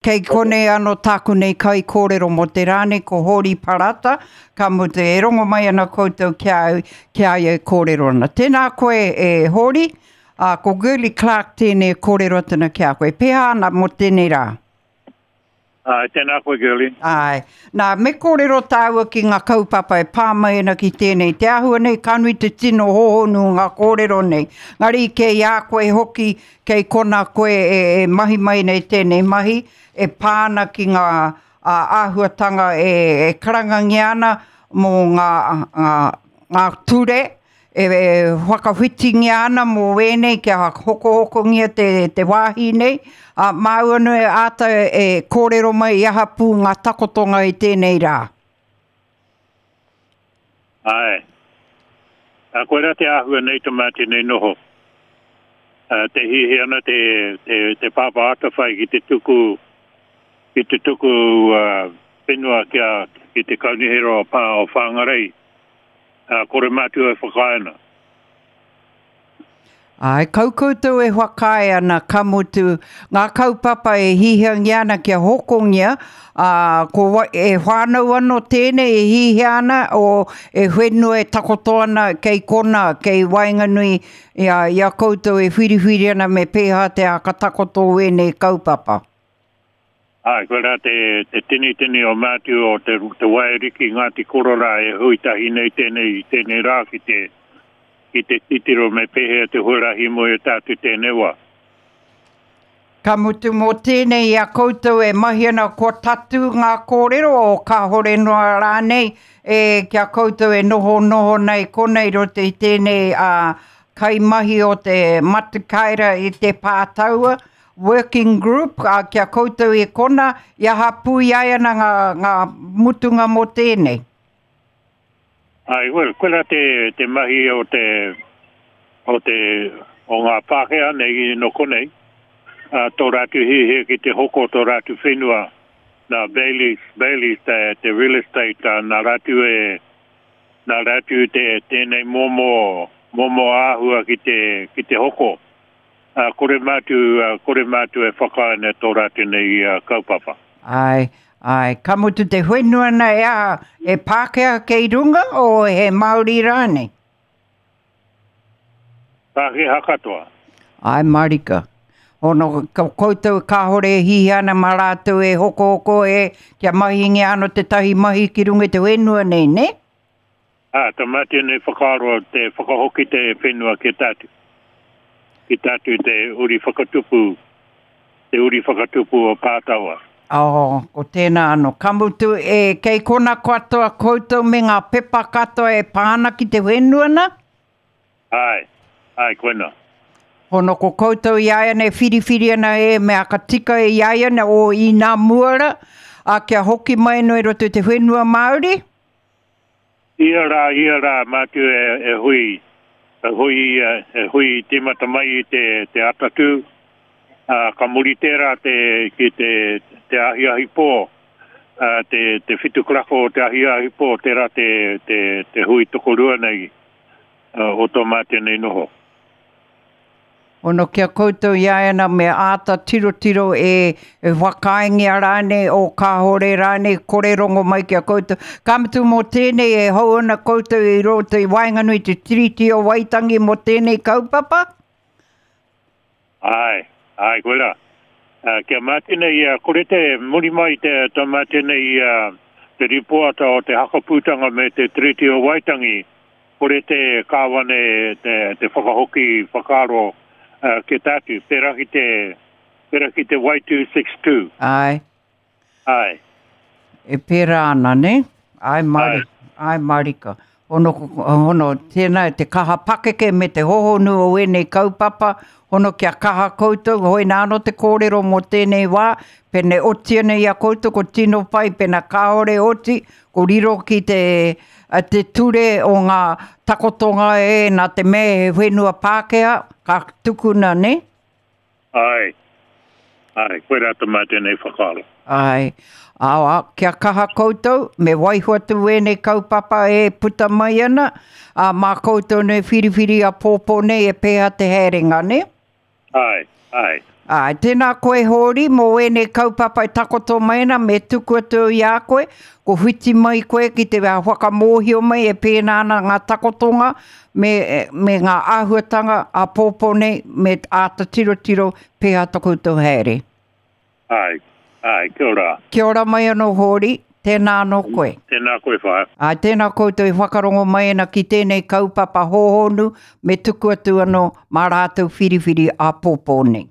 Kei konei anō tāku nei kaikōrero mō te rā nei, ko Hōri Parata, ka mutu e rongo mai ana koutou ki a au, ki a ia e kōrero ana. Tēnā koe e Hōri, ā, ko Girlie Clarke tēnei e kōrero atu ana ki a koe. Pēhea ana mō tēnei rā? Āe, tēnā koe Girlie. Āe. Nā, me kōrero tāua ki ngā kaupapa e pā mai ana ki tēnei. Te āhua nei, ka nui te tino hōhonu o ngā kōrero nei. Ngari kei a koe hoki Kei kona koe e mahi mai nei tēnei mahi e pā ana ki ngā āhuatanga e karangangia ana mō ngā, ngā, ngā ture e whakawhitingia ana mō ēnei kia hokohokongia te, te wāhi nei. Ā, māu anō e āta e kōrero mai i aha pū ngā takotonga i tēnei rā. Āe. Ā, koirā te āhua nei to mātou nei noho. Ā, te hiahia ana te, te, te Pāpā Atawhai ki te tuku, ki te tuku ā, whenua ki a, ki te Kaunihera o Pā o Whangarei. Ā, kore mātou e whakaae ana. Āe, kau koutou e whakaae ana, ka mutu, ngā kaupapa e hihiangia ana kia hokongia, ā, ko wai, e whānau anō tēnei e hihia ana, o, e whenua e takoto ana kei kona, kei waenganui i a, i a koutou e whiriwhiri ana me pēhā te ākatakoto o ēnei kaupapa. Āe, koirā te, te tinitini o Mātiu o te, te Waiariki Ngāti Kororā e hui tahi nei tēnei, tēnei rā ki te, ki te titiro me pēhea te huarahi moe o tātou tēnei wā. Ka mutu mō tēnei i a koutou e mahi ana kua tatū ngā kōrero o kāhore noa rānei e ki a koutou e nohonoho nei konei roto i tēnei ā, kaimahi o te Matikaira i te Pātaua, Working Group, ā, ki a koutou i kona, i aha pū i ai ana ngā, ngā mutunga mō tēnei? Āe, well, koirā te, te mahi o te, o te, o ngā Pākehā nei nō konei, ā, tō rātou hiahia ki te hoko tō rātou whenua, nā Bayleys, Bayleys te, te real estate, ā, nā rātou e, nā rātou te, tēnei momo, momo āhua ki te, ki te hoko. Ā, kore mātou, ā, kore mātou e whakaae nei tō rātou nei kaupapa. Āe, āe. Ka mutu te whenua na e aha, he Pākehā kei runga o he Māori rānei? Pākehā katoa. Āe mārika. Hono, ko koutou kāore e hihia ana mā rātou e hokohoko e, kia mahingia anō tētahi mahi ki runga i te whenua nei, nē? Ā, ka mea tēnei whakaaro te whakahoki te whenua ki a tātou, ki tātou te uri whakatupu, te uri whakatupu o Pātawa. Oh, ko tēnā anō. Ka mutu, e, kei kona katoa koutou me ngā pepa katoa e pā ana ki te whenua nā? Āe, āe, koinā. Hono ko koutou i āianei whiriwhiri ana e mea ka tika i āianei o i nā mua rā, ā, kia hoki mai anō i roto i te whenua Māori? Ia rā, ia rā, mātou e, e hui, e hui, e hui tīmata mai i te, te atatū, ā, ka muri tērā te, ki te, te ahiahi pō, ā, te, te whitu karaka o te ahiahi pō, tērā te, te, te hui tokorua nei, ā, o tō mātou nei noho. Ono ki a koutou i āiana me āta tirotiro e, e whakaaengia rānei, o kāore rānei, kore rongo mai ki a koutou. Ka mutu mō tēnei e hou ana koutou i roto i waenganui i te Tiriti o Waitangi mō tēnei kaupapa? Āe, āe, koirā. Uh, kia mā tēnei, uh, kore te muri mai te, tā mā tēnei uh, te rīpoata o te hakapūtanga me te Tiriti o Waitangi, Kore te Kāwana te, te whakahoki whakaaro uh, ki tātou, pērā ki te, pērā ki te Y262. Āe. Āe. E pērā ana, ne? Āe, mari, āe marika. Hono, hono, tēnā te kaha pakeke me te hohonu o ēnei kaupapa, hono kia kaha koutou, hoi nā anō te kōrero mō tēnei wā, pene oti ana i a koutou, ko tino pai, pena kāore oti, ko riro ki te, te ture o ngā takotonga e, nā te mea he whenua Pākehā, ka tukuna, nē? Āe, āe, koirā tā mātou nei whakaaro. Āe, ā, kia kaha koutou, me waiho atu ēnei kaupapa e puta mai ana, ā, mā koutou nei whiriwhiri āpōpō nei e pēhea te haerenga, nē? Āe, āe. Āe, tēnā koe Hōri, mō ēnei kaupapa e takoto mai ana, me tuku atu au i a koe, ko whiti mai koe ki te whakamōhio mai e pēnā ana ngā takotonga me, me ngā āhuatanga āpōpō nei, me āta tirotiro pēhea to koutou haere. Āe, āe, kia ora. Kia ora mai anō Hōri, tēnā anō koe. Tēnā koe whaea. Āe, tēnā koutou e whakarongo mai ana ki tēnei kaupapa hōhonu, me tuku atu anō mā rātou whiriwhiri āpōpō nei.